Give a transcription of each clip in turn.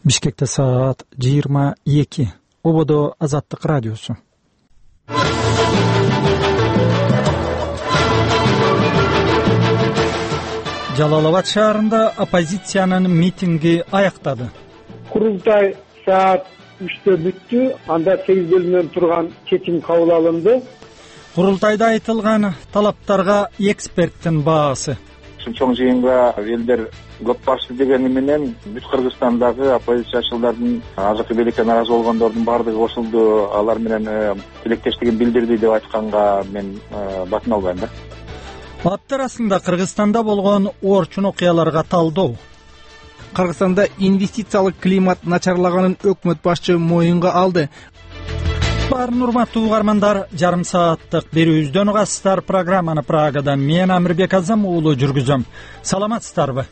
Бишкекте саат 22. Ободо Азаттык радиосу. Жалал-Абад шаарында оппозициянын митинги аяктады. Курултай саат 3-тө бүттү. Анда 8 бөлүмдөн турган чечим кабыл алынды. Курултайда айтылган талаптарга эксперттин баасы. Чоң жыйынга элдер көп барчу дегени менен бүт Кыргызстандагы оппозициячылардын азыркы бийликке нааразы болгондордун баардыгы кошулду, алар менен тилектештигин билдирди деп айтканга мен батын албайм да. Ат арасында Кыргызстанда болгон орчун окуяларга талдоо. Кыргызстанда инвестициялык климат начарлаганын өкмөт башчы моюнга алды. Баарын урматтуу угармандар, жарым сааттык берүүбүздөн угасыздар. Программаны Прагадан мен Амирбек Азам уулу жүргүзөм. Саламатсыздарбы?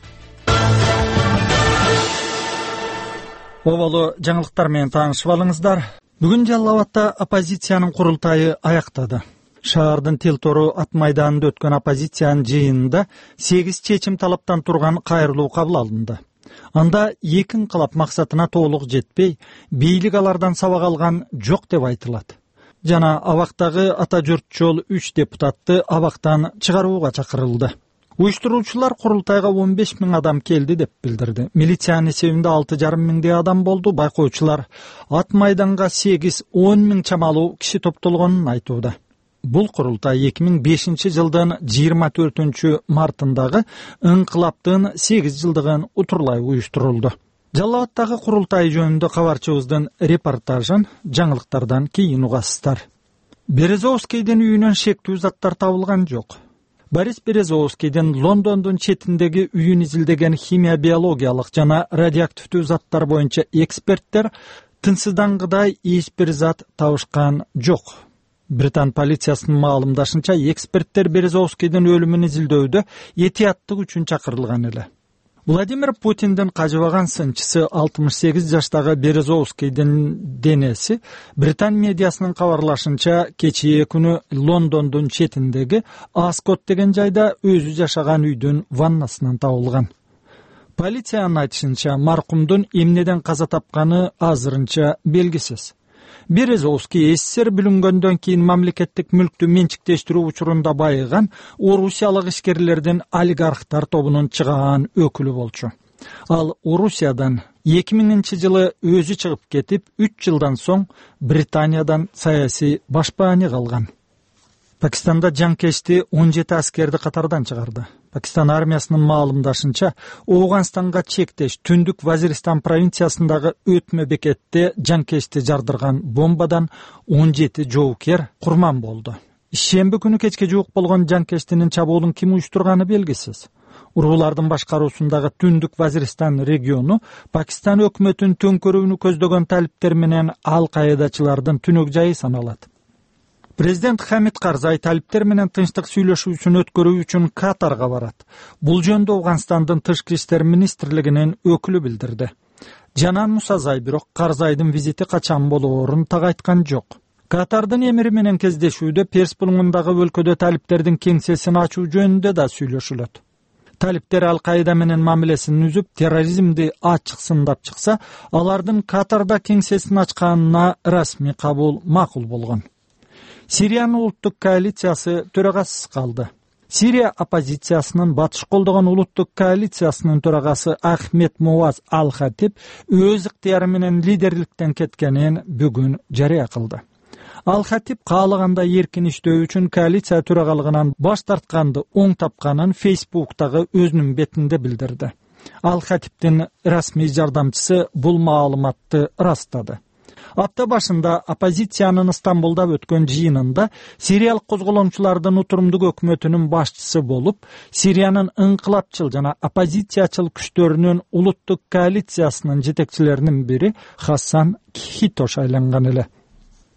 Оболу жаңылыктар менен таанышып алыңыздар. Бүгүн Жалал-Абадта оппозициянын курултайы аяктады. Шаардын Тил-Тору ат майданында өткөн оппозициянын жыйынында 8 чечим талаптан турган кайрылуу кабыл алынды. Анда эки инкылап максатына толук жетпей, бийлик алардан сабак алган жок деп айтылат. Жана абактагы ата журтчол 3 депутатты абактан чыгарууга чакырылды. Уюштуруучулар курултайга 15 000 адам келди деп билдирди. Милициянын эсебинде 6,5 миңдей адам болду. Байкоочулар ат майданга 8-10 миң чамалуу киши топтолгонун айтууда. Бул курултай 2005 жылдын 24 мартындагы инкылаптын 8 жылдыгын утурлай уюштурулду. Жалал-Абадтагы курултай жөнүндө кабарчыбыздын репортажын жаңылыктардан кийин угасыздар. Березовскийдин үйүнөн шектүү заттар табылган жок. Борис Березовскийдин Лондондун четиндеги үйүн изилдеген химия биологиялык жана радиоактивдүү заттар боюнча эксперттер тынчсыздангыдай эч бир зат табышкан жок. Британ полициясынын маалымдашынча, эксперттер Березовскийдин өлүмүн изилдөөдө этияттык үчүн чакырылган эле. Владимир Путиндин кажыбаган сынчысы 68 жаштагы Березовскийдин денеси Британ медиасынын кабарлашынча кечээ күнү Лондондун четиндеги Аскот деген жайда өзү жашаган үйдүн ваннасынан табылган. Полициянын айтышынча, маркумдун эмнеден каза тапканы азырынча белгисиз. Березовский СССР бүлүнгөндөн кийин мамлекеттик мүлктү менчиктештирүү учурунда байыган орусиялык ишкерлердин олигархтар тобунун чыгаан өкүлү болчу. Ал Орусиядан 2000 жылы өзү чыгып кетип, 3 жылдан соң Британиядан саясий башпааны калган. Пакистанда жаңкешти 17 аскерди катардан чыгарды. Пакистан армиясынын маалымдашынча, Ооганстанга чектеш Түндүк Вазиристан провинциясындагы өтмө бекетте жаңкешти жардырган бомбадан 17 жоокер курман болду. Шемби күнү кечке жуук болгон жаңкештинин чабуулун ким уюштурганы белгисиз. Ургулардын башкаруусундагы Түндүк Вазиристан региону Пакистан өкмөтүнүн төңкөрүүнү көздөгөн талиптер менен ал-Каидачылардын түнөк жайы саналат. Президент Хамид Карзай талиптер менен тынчтык сүйлөшүүсүн өткөрүү үчүн Катарга барат. Бул жөнүндө Ооганстандын тышкы иштер министрлигинин өкүлү билдирди. Жанан Мусазай бирок Карзайдын визити качан болоорун так айткан жок. Катардын эмири менен кездешүүдө Перс булуңундагы өлкөдө талиптердин кеңсесин ачуу жөнүндө да сүйлөшүлөт. Талиптер Ал-Каида менен мамилесин үзүп, терроризмди ачык сындап чыкса, алардын Катарда кеңсесин ачканына расмий кабыл макул болгон. Сириянын улуттук коалициясы төрагасыз калды. Сирия оппозициясынын батыш колдогон улуттук коалициясынын төрагасы Ахмед Муаз Ал-Хатиб өз ыктыяры менен лидерликтен кеткенин бүгүн жарыя кылды. Ал-Хатиб каалаганда эркин иштөө үчүн коалиция төрагалыгынан баш тартканды оң тапканын Фейсбуктагы өзүнүн бетинде билдирди. Ал-Хатибдин расмий жардамчысы бул маалыматты ырастады. Апта башында оппозициянын Стамбулда өткөн жыйынында сириялык козголоңчулардын утурумдук өкмөтүнүн башчысы болуп, Сириянын инкылапчыл жана оппозициячыл күчтөрүнүн улуттук коалициясынын жетекчилеринин бири Хасан Хито шайланган эле.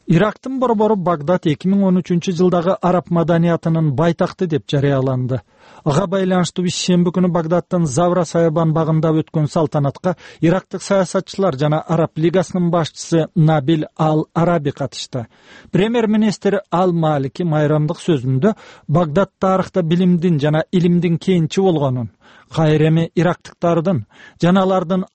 Ирактын борбору Багдад 2013 жылдагы араб маданиятынын байтакты деп жарыяланды. Ага байланыштуу шемби күнү Багдадтын Завра Саябан багында өткөн салтанатка ирактык саясатчылар жана Араб лигасынын башчысы Набил Ал-Араби катышты. Премьер-министр Ал-Малики майрамдык сөзүндө Багдад тарыхта билимдин жана илимдин кенчи болгонун, кайреми ирактыктардын жана алардын